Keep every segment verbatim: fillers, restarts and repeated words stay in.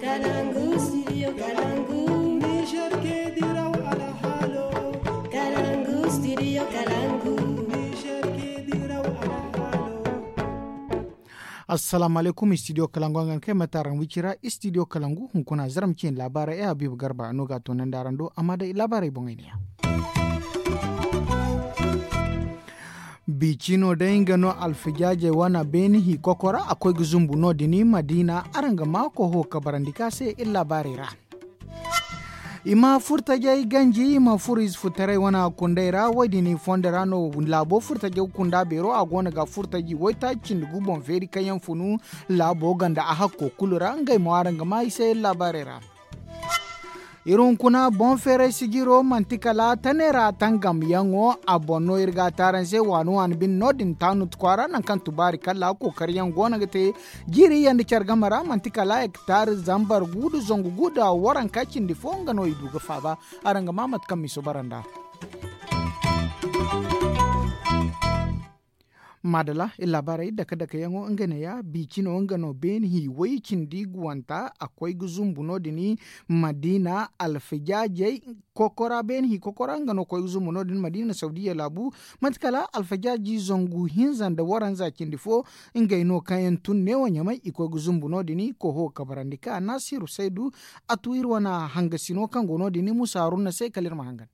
Kalangu studio kalangu. Niger ke diraw alhalo. Kalangu studio kalangu. Assalamu alaikum studio kalangu, an ga ni kay mate araŋ wicira studio kalangu hunkuna zaram ciine laabaarey ay habiibu garba no ga a toonandi araŋ do amma day laabaarey boŋey ne ya. Biicino day nga no alfajaajey wana beeni hi kokora a koy ga zumbu no- din madiina araŋ ga maa koho kabarandi ka se iri laabaarey ra. I ma furtajey ganji i ma furo ize furtaray wana kundey ra wo- din i fondo ra no laabo furtajey ga kunda beero a go no ga furtaji waytaaci cindi gu boŋ feeri kaŋ yaŋ funu laabo ganda a hakko kulu ra ngey mo araŋ ga maa i se iri laabaarey ra. Iri hunkuna boŋ feeray sijiro manti kala taneera tangamyaŋo a boŋ no iri ga a te araŋ se waani waani bine no- din taanut kwaara nangu kaŋ tubaari kalla kookariyaŋ go no ga te jiiri yaŋ nda care game ra manti kala hektar zambar gu nda zangu gu nda waranka cindi fo nga no i du ga faaba. Araŋ ga maa mate kaŋ miso bara nd'a. Maadala iri laabaarey dake dake yaŋo nga ne ya biicino nga no beene hi way cindi guwanta a koy ga zumbu no- din madiina alfajaajey kokora beene hi kokora nga no koy ga zumbu no- din madiina sawdiya laabu. Mate kala alfajaaji zangu hinza nda waranza cindi fo ngey no kaŋ yaŋ tun neewo ɲamay i koy ga zumbu no- din koho kabarandi ka naasiru saydu a tu iri wane hangasino kaŋ go no- din musa haruna se kala iri ma hangan.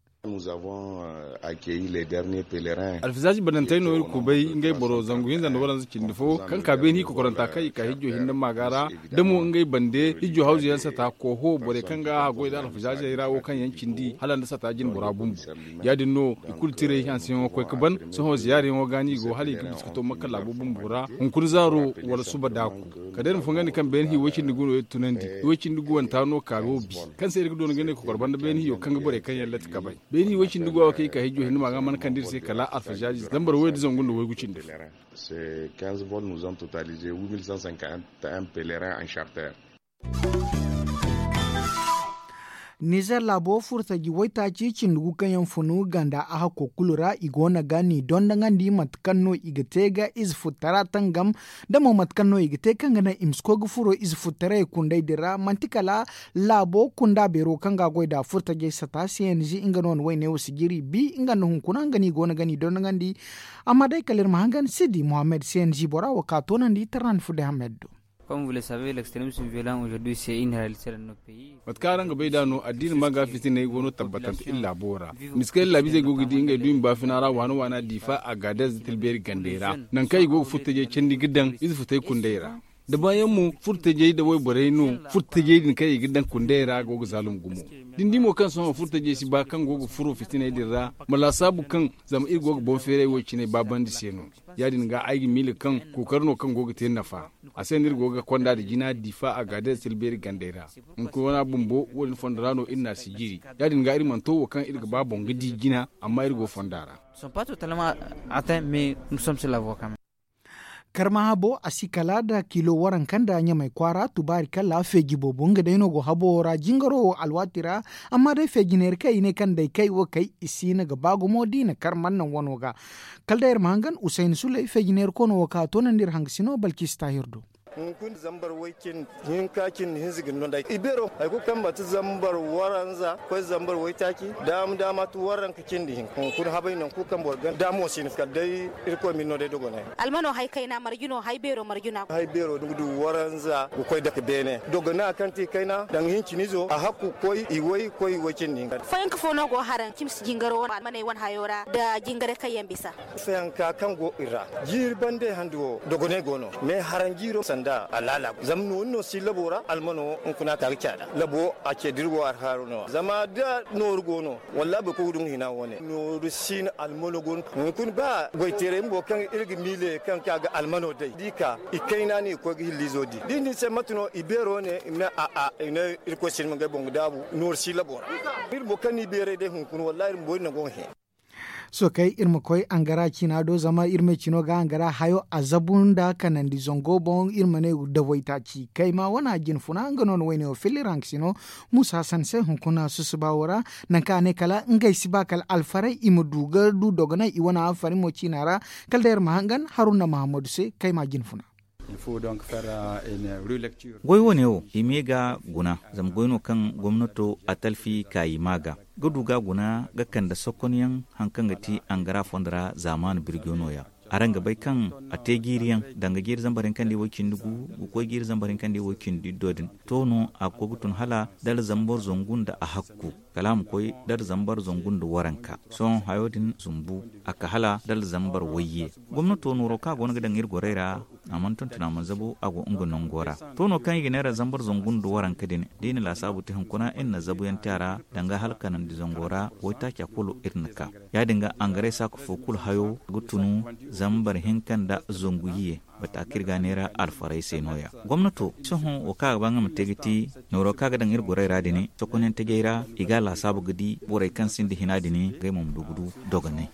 Alfisaaji badantey no iri kubay ngey boro zangu hinza nda waranza cindi fo kaŋ ka beeni hi kokoranta kaŋ i ka hijjo hinne maaga ra da mo ngey bande hijjo hawzu yaŋ sata koho borey kaŋ ga a goy nda alfisaajey ra wo kaŋ yaŋ cindi hala nda sata jine bora bumbo. Ya- din no i kulu tiray hanseyaŋo koy ga ban sohõ ziyaarayaŋo ga no i go hala i ga bisa ga to makka laabo bumbo ra hunkuna zaaro wala suba daaku. Kala day iri ma fongandi kaŋ beene hi way cindi gu no iri tunandi way cindi guwanta no ka wo bi kaŋ se iri ga doona ga ne kokor banda beene hiyo kaŋ ga borey kaŋ yaŋ latti kabay. Beene hi way cindi guwa wo kaŋ i ka hijjo hinne ma ga mana kande iri se kala alfajaaji zambar way da zangu nda waygu cindi. Nizer laabo furtaji waytaaci cindi gu kaŋ yaŋ funu ganda a hakko kulu ra i go no ga ni dondoŋandi mate kaŋ no i ga te ga ize futtara tangam da mo mate kaŋ no i ga te kaŋ ga naŋ i ma si koy ga furo ize futtaray kundey din ra manti kala laabo kunda beero kaŋ ga a goy nda furtajey sata cng nga no na wayne wo sijiri bi nga nda hunkuna nga no i go no ga ni dondoŋandi. Amma day kala iri ma hangan sidi mohammed cng bora wo ka toonandi tarnandi fudde hammed do. Mate kaŋ araŋ ga bay nd'a no addiina ma ga fitiney go no tabbatante iri laabo ra miskay iri laabiizey go ga di ngey duumi baafina ra waana waana diifa agaadez da tilbeeri gandey ra nangu kaŋ i go ga furtajey candi ga daŋ ize futey kundey ra. Da baayaŋ mo furtajey nda wayborey no furtajey din kaŋ i ga daŋ kundey ra go ga zaalum gumo. Da ni di mo kaŋ sohõ furtajey si ba kaŋ go ga furo fitiney din ra ma laasaabu kaŋ zama iri go ga boŋ feeray wo- cine baabandi se no. Ya- din ga ay ga miila kaŋ kookari no kaŋ go ga te nafa. A se no iri go ga konda nda jina diifa agaadez tilbeeri gandey ra. Hunkuna wana bumbo wo- din fondo ra no iri n'a sijiri. Ya- din ga iri mana to wo kaŋ iri ga ba boŋ ga di jina amma iri go fonda ra. Karma habo a si kala nda kilo waranka nda ɲamay kwaara tubaari kala feeji boobo nga day no go habo wo ra jingaro wo alwaati ra. Amma day feeji neera kaŋ i ne kaŋ day kay wo kay i si hin ga ba gumo da i na kar mana naŋ wano ga. Kala day iri ma hangan usayni sulay feeji neera koono wo kaŋ a toonandi iri hangasino balkiisi taahir do. Hunkuna zambar way cindi hinka cindi hinza ga ni no day i beero hari kulu kaŋ manti zambar waranza koy zambar waytaaci daama daama ti waranka cindi hinka hunkuna habay nangu kulu kaŋ boro ga daamo si ni kala day. Irkoy ma ni no day dogonay. Almano hay kayna marjino hay beero marjina. Hay beero ni ga du waranza ga koy dake beene dogona kaŋ ti kayna danga hincinizo a hakku koy i way koy way cindi hinka. Fayanka fo no go haraŋ cimsi jingaro almaney wane hayo ra nda jingaray kaŋ yaŋ bisa. Fayanka kaŋ go i ra jiiri bande handi wo dogonay go no mais haraŋ jiiro sanda a laala zama noori no si labo ra almano hunkuna ka ga caada labo a ce da iri go arhaaru no zama da nooru go no. Wallahi boro kulu ga dungu hina wane nooru si no almano go no hunkuna ba goyteeray bumbo kaŋ iri ga miile kaŋ ka ga almano day da i ka i kayna no i ga koy ga hillizo di da i ne ni se mate no i beero ne i ma ne a'a i ne irkoy si ni ma ngey boŋ ga daabu nooru si labo ra. Iri bumbo kaŋ no i beeray day hunkuna wallahi iri bumbo iri nango ga hẽ. Sookay iri ma koy angara ciina do zama iri me cino ga angara hayo a zabu nda kanandi zango boŋ iri ma ne da waytaaci kayma wane a jine funa nga no na wayne wo filla iri hankasino muusa hasan se hunkuna susuba wo ra. Nangu kaŋ a ne kala ngey si ba kala alfaray i ma du ga du dogonay i wane alfaray mo ciina ra. Kala day iri ma hangan haruna mahammadu se kayma jine funa. Goy wane wo i ma ye ga guna, zama goy no kaŋ gomnato a talfi ka i ma ga ga du ga guna ga kande sokonyaŋ, hari kaŋ ga ti angara fondo ra zaamaani birjo no- ya. Araŋ ga bay kaŋ a te jiiri yaŋ, danga jiiri zambar hinka nda i way cindi gu ga koy jiiri zambar hinka nda i way cindi iddo din. To no a ga koy ga tun hala dala zambar zangu nda a hakku, kala a ma koy dala zambar zangu nda waranka. Sohõ hayo din zumbu, a ka hala dala zambar wayye. Gomnato nooro kaŋ a go no ga daŋ iri gorey ra, a mana tonton a mana zabu, a go nga nango ra. To no kaŋ i ga neera zambar zangu nda waranka din, da i na laasaabu te hunkuna iri na zabuyaŋ te a ra, danga hala kanandi zango ra waytaaca kulu iri na ka. Ya- din ga angaray saaka fo kulu hayo ga tunu zambar hinka nda zangu iyye. Bata kaŋ iri ga a neera alfaray se no- ya. Gomnato sohõ wo kaŋ a ga ba nga ma te ga ti nooro kaŋ a ga daŋ iri gorey ra din sokonyaŋ tajey ra, i ga a laasaabu ga di borey kaŋ sinda hina din, ngey mo ma du ga du dogonay.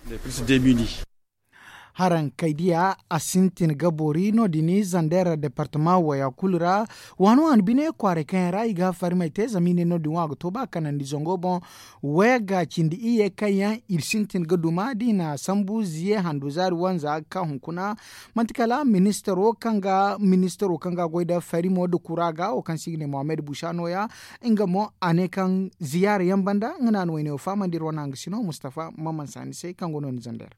Haraŋ kay diya a sintin ga boori no- din zandeera departama waya kulu ra. Waani waani bine kwaaray kaŋ yaŋ ra i ga farmey te zama i ne no- din wo a ga to ba kanandi zango boŋ. Wayagga cindi iyye kaŋ yaŋ i sintin ga duma da i na sambu ziye handu zaari wanza ga ka hunkuna. Manti kala ministaro kaŋ ga ministaro kaŋ ga goy nda farimo nda kura ga wo kaŋ se i ga ne mohammed busa no- ya. Nga mo a ne kaŋ ziyaara yaŋ banda nga no a na wayne wo fahamandi iri wane hangasino mustafa mamman saani se kaŋ go no ni zandeera.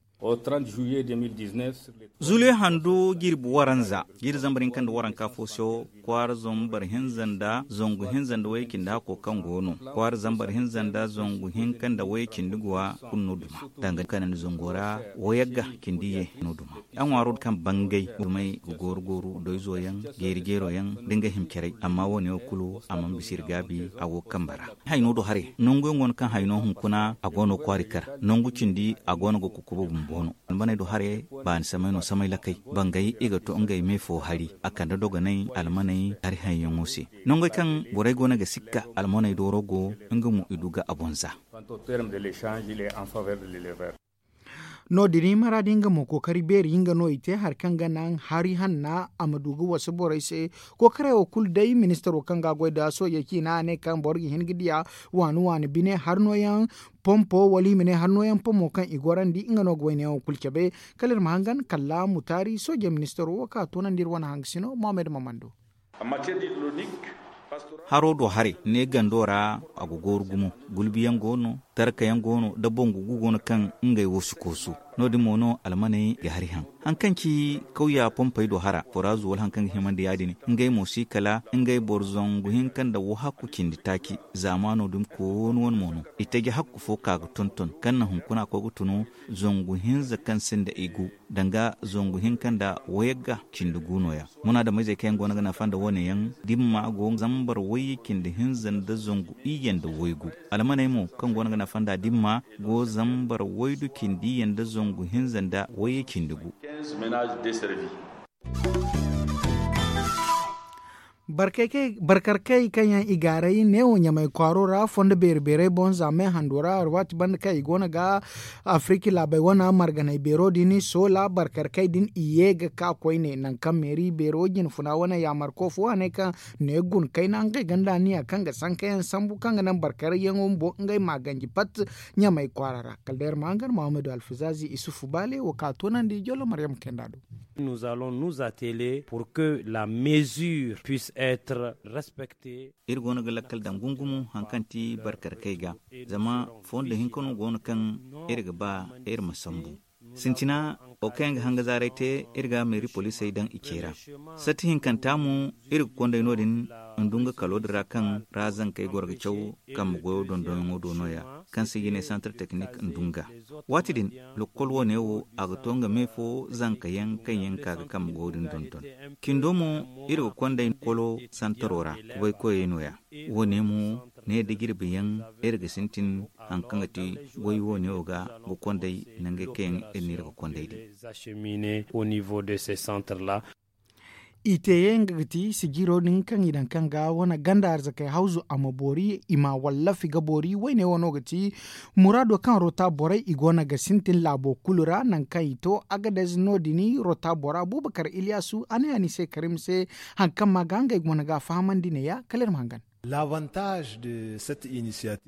Zuliyo handu jirbi waranza jiiri zambar hinka nda waranka fo se wo, kwaara zambar hinza nda zangu hinza nda wayye cindi hakko kaŋ go no kwaara zambar hinza nda zangu hinka nda wayye cindi guwa kulu no duma. Danga kanandi zango ra wayagga cindi ye no duma. Ya ŋwaaro kaŋ bangay dumey ga gooru gooru doyzo yaŋ, jeeri jeero yaŋ da nga himcaray amma wo- ne wo kulu a mana bisa iri gaabi. A go ga kambe ra hayno do haray nangu yaŋ go no kaŋ hayno hunkuna a go no kwaari kar nangu cindi a go no ga kukuba bumbo no. Almaney do haray baani samay no samay lakay bangay i ga to ngey me fo hari a kande dogonay almaney hari hayyaŋo se. Nangey kaŋ borey go no ga sikka almaney dooro go nga mo i du ga a boŋ za. No- din maraadi nga mo kookari beeri nga no i te hari kaŋ ga naŋ hari hanna a ma du ga wasu borey se. Kookarey wo kulu day ministaro kaŋ ga a goy nda soojey ciina a ne kaŋ boro ga hin ga diya waani waani bine hari nooyaŋ pompo wala i ma ne hari nooyaŋ pomo kaŋ i gorandi nga no ga wayne yaŋo kulu cabe. Kala iri ma hangan kala mutaari soojey ministaro wo kaŋ a toonandi iri wane hangasino mohammed mamando. Haro do haray ne gando ra a ga gooru gumo. Gulbiyaŋ go no tarkayaŋ go no da bangu gu go no kaŋ ngey wo si koosu. No- din mo no almaney ga hari haŋ hari kaŋ ci kawya pompey do hara foraazu wala hari kaŋ ga himandi ya- din. Ngey mo si kala ngey boro zangu hinka nda wahakku cindi taaci zaamaano din koonu wane mo no. Itaje hakku fo ka ga tonton kaŋ na hunkuna koy ga tunu zangu hinza kaŋ sinda i gu danga zangu hinka nda wayagga cindi gu no- ya. Munaadamizey kaŋ yaŋ go no ga nafa nda wane yaŋ dimma go zambar wayye cindi hinza nda zangu iyye nda waygu. Almaney mo kaŋ go no ga nafa nda dimma go zambar waydu cindi iyye nda zangu hinza nda wayye cindi gu. Barkarkey kaŋ yaŋ i gaaray neewo ɲamay kwaaro ra fondo beeri beerey boŋ za me hando ra alwaati banda kaŋ i go no ga afiriki laabey wane marganey beero din soola barkarkey din i ye ga ka koyne nangu kaŋ meeri beero jinfuna wane yaamarko fo a ne kaŋ ne guna kayna ngey ganda niya kaŋ ga sankayaŋ sambu kaŋ ga naŋ barkarayyaŋo bumbo ngey ma ganji pat ɲamay kwaara ra kala day iri ma hangan muhammadu alfazaazi isufu baale wo ka toonandi jollo maryam kayna do. Nous allons nous atteler pour que la mesure puisse être respectée. Iri go no ga lakkal daŋ gungumo hari kaŋ ti barkarkey ga zama fondo hinka no go no kaŋ iri ga ba iri ma sambu. Sintina wo kaŋ yaŋ ga hanga zaaray te iri ga meeri poliisey daŋ i ce ra. Satti hinkanta mo iri ga konday no- din ndunga kalo din ra kaŋ ra zankey goro ga caw kambe goyo dondonyaŋo do no- ya kaŋ se i ga ne santar teknik ndunga. Waati din lokkol wane wo a ga to nga me fo zanka yaŋ kaŋ yaŋ ka ga kambe goyo din dondon. Cindo mo iri ga konday kolo santaro ra kubaykoyey no- ya. Wo- ne mo ne da jirbi yaŋ iri ga sintin hari kaŋ ga ti goy wo- ne wo ga ga konday nangey kaŋ yaŋ iri no iri ga konday din. I te ye nga ga ti sijiro din kaŋ i daŋ kaŋ ga wane ganda arzakey hawzu a ma boori i ma wallafi ga boori wayne wano ga ti muraado kaŋ rota borey i go no ga sintin laabo kulu ra nangu kaŋ i to agadez no- din rota bora buubakar iliyasu a ne a ni se karim se hari kaŋ ma ga ngey go no ga a fahamandi ne- ya kala iri ma hangan.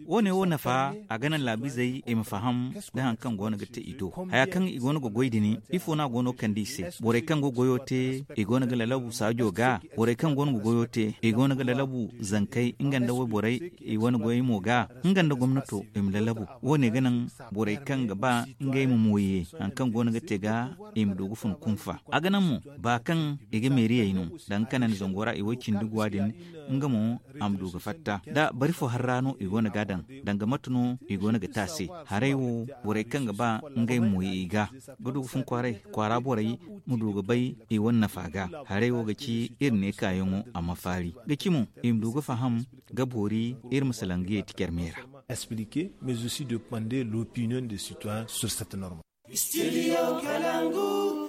Wo- ne wo nafa a ga naŋ laabiizey i ma faham nda hari kaŋ go no ga te i do haya kaŋ i go no ga goy din. Ifo no a go no ga kande i se? Borey kaŋ go ga goyo te i go no ga lalabu saajo ga. Borey kaŋ go no ga goyo te i go no ga lalabu zankey nga nda wayborey i wane goyey mo ga. Nga nda gomnato i ma lalabu. Wo- ne ga naŋ borey kaŋ ga ba ngey ma mooye hari kaŋ go no ga te ga i ma du ga fun kunfa. A ga naŋ mo ba kaŋ i ga meeriyey no danga kanandi zango ra i way cindi guwa din nga mo a ma du ga fatta da bari fo hari ra no i go no ga a daŋ. Danga mate no i go no ga te a se? Haray wo borey kaŋ ga ba ngey ma mooye i ga ga du ga fun kwaaray kwaara borey ma du ga bay i wane nafa ga. Haray wo ga ci iri ne kaayaŋo a ma faari ga ci mo i ma du ga faham ga boori iri ma salaŋ ga yeeti care me ra. Expliquer mais aussi de demander l'opinion des citoyens sur cette norme.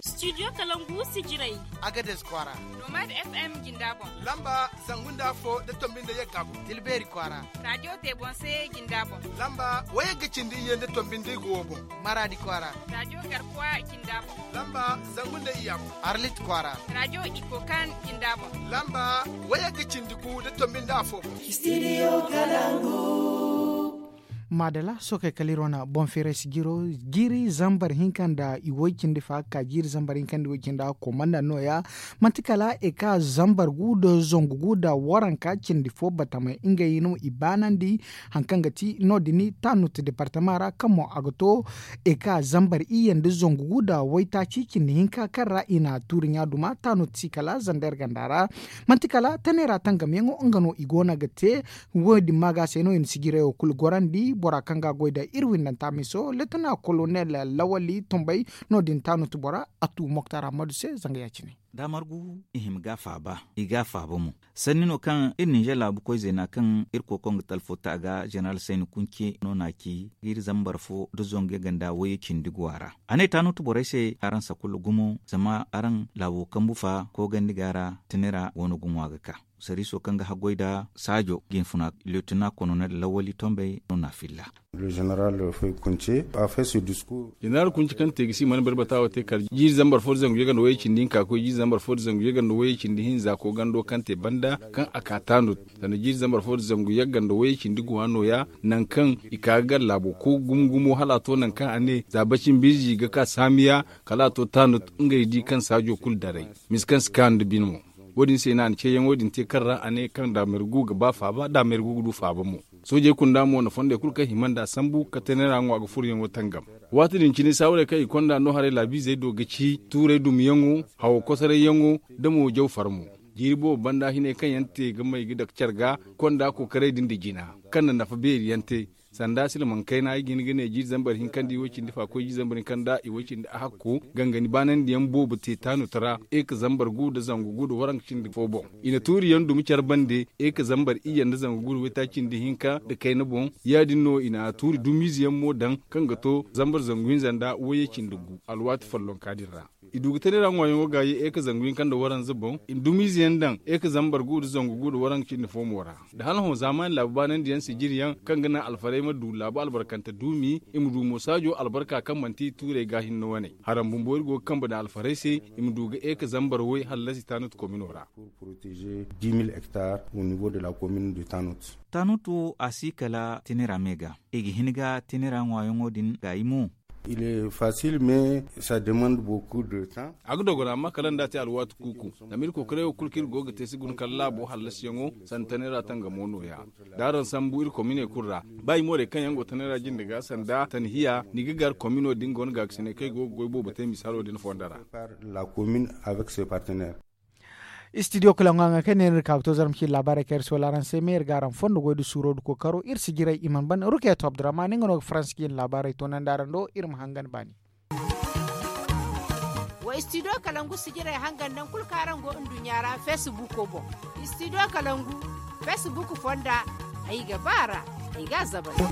Studio kalangu sijirey. Agades kwaara. Nomad fm jinda boŋ. Lamba zangu nda afo da tombi nda yagga boŋ. Tilbeeri kwaara. Radio tebonse jinda boŋ. Lamba wayagga cindi iyye nda tombi nda igo wo boŋ. Maradi kwaara. Radio garkuwa jinda boŋ. Lamba zangu nda iyya boŋ. Arlit kwaara. Radio ikokan jinda boŋ. Lamba wayagga cindi gu da tombi nda afo boŋ. Studio kalangu. Maadala sookey kala iri wane boŋ feeray si jiro jiiri zambar hinka nda i woy cindi fa ga ka jiiri zambar hinka nda i woy cindi a komanda nooya. Manti kala eka zambar gu nda zangu gu nda waranka cindi fo batamey ngey no i baanandi. Hari kaŋ ga ti no- din taanut departama ra kaŋ mo a ga to eka zambar iyye nda zangu gu nda waytaaci cindi hinka kaŋ ra i na tuuri ɲaaduma taanut si kala zander ganda ra. Manti kala taney ra tangamyaŋo nga no i go no ga te. Wo- din ma ga se no i na sijirayo kulu gorandi bora kaŋ ga a goy nda iri windanta miso letana kolonel lawali tombay. No- din taanut bora a tu moktar ammadu se zanga ya- cine. Da margu i hima ga a faaba i ga a faaba mo. Sanni no kaŋ iri ninzeer laabu koy zeena kaŋ iri kokoŋ ga talfo ta ga zeneral sayni kunce no na a ci ga iri zambar fo nda zangu yagga nda wayye cindi guwa ra. A ne taanut borey se araŋ sakulla gumo zama araŋ laabo kambu fa koogandi ga a ra. Tine ra go no ga ŋwa ga ka. Sariiso kaŋ ga haggoy nda saajo ga hinfuna leetina kononel lawali tombey no na a filla. Jeneral kunci kaŋ te ga si mana barbata wo te kala jiiri zambar fo nda zangu yagga nda wayye cindi hinka ga koy jiiri zambar fo nda zangu yagga nda wayye cindi hinza koogando kaŋ te banda kaŋ a ka taanut sanda jiiri zambar fo nda zangu yagga nda wayye cindi guwa nooya. Nangu kaŋ i ka ga gar laabo ko gumo gumo hala a to nangu kaŋ a ne za bacin biizi ga ka saamiya kala a to taanut ngey di kaŋ saajo kulu daray. Misa kaŋ si kaanu nda bine mo. Wo- din se no a na ceeyaŋo din te kaŋ ra a ne kaŋ daameer gu ga ba faaba daameer gu ga du faaba mo. Soojey kunda mo na fondey kulu kaŋ hima nd'a sambu ka tanera ŋwa ga furoyaŋo tangam. Waati din cine saawarey kaŋ i konda no haray laabiizey do ga ci tuurey dumiyaŋo, hawo kosarayyaŋo, nda mo jaw farmo. Jiiri boobo banda hinay kaŋ yaŋ te ga may ga dake care ga konda kookaray din nda jina kaŋ na nafa beeri yaŋ te. Sanda silmaŋ kayna ay ga hin ga ne jiiri zambar hinka nda i way cindi fa koy jiiri zambar hinka nda i way cindi ahakko gangani baanandiyaŋ boobo te taanut ra eka zambar gu nda zangu gu nda waranka cindi fo boŋ. I na tuuriyaŋ dumi care bande eka zambar iyye nda zangu gu nda waytaaci nda hinka nda kayna boŋ. Ya- din no i na tuuri dumiize yaŋ mo daŋ kaŋ ga to zambar zangu hinza nda wayye cindi gu alwaati follonka din ra. I du ga tane ra ŋwaayaŋo ga ye eka zangu hinka nda waranza boŋ i na dumiize yaŋ daŋ eka zambar gu nda zangu gu nda waranka cindi fo mo ra. Da hala hõ zaamaani laabu baanandiyaŋ sijiriyaŋ kaŋ ga naŋ alfarey ma du laabu albarkante duumi i ma du mo saajo albarka kaŋ manti tuurey ga hinne wane. Haram bumbo iri go ga kambe daŋ alfarey se i ma du ga eka zambar way hallasi tanut komino ra. Tanut wo a si kala tine ra me ga i ga hin ga tine ra ŋwaayaŋo din gaayi mo. Il est facile mais ça demande beaucoup de temps. A ga dogona amma kala nda a te alwaati kuuku. Zama iri kokoray wo kulu kaŋ iri go ga te si guna kala laabo hallasiyaŋo sanda tanay ra tangamo nooya. Da araŋ sambu iri komine kulu ra ba i moorey kaŋ yaŋ go tanay ra jinde ga sanda tanhiya ni ga gar komino din go no gaakasinay kaŋ i go ga goy boobo te misaalo din fonda ra. La commune avec ses partenaires. Istidiyo kulaŋo haŋa kaŋ ne no iri ka ga to zarma ciine laabaarey kaŋ iri si wala araŋ se me iri ga araŋ fondo goy nda suuro nda kookaro iri si jiray i mana ban rukeeto abdurrahman nga no ga faransi ciine laabaarey toonandi araŋ do iri ma hangan baani. Wa istidiyo kalangu sijirey hangan naŋ kulu kaŋ araŋ go nduɲɲa ra feesibuuko boŋ. Istidiyo kalangu feesibuuku fonda ay ga ba a ra ay ga a zabari.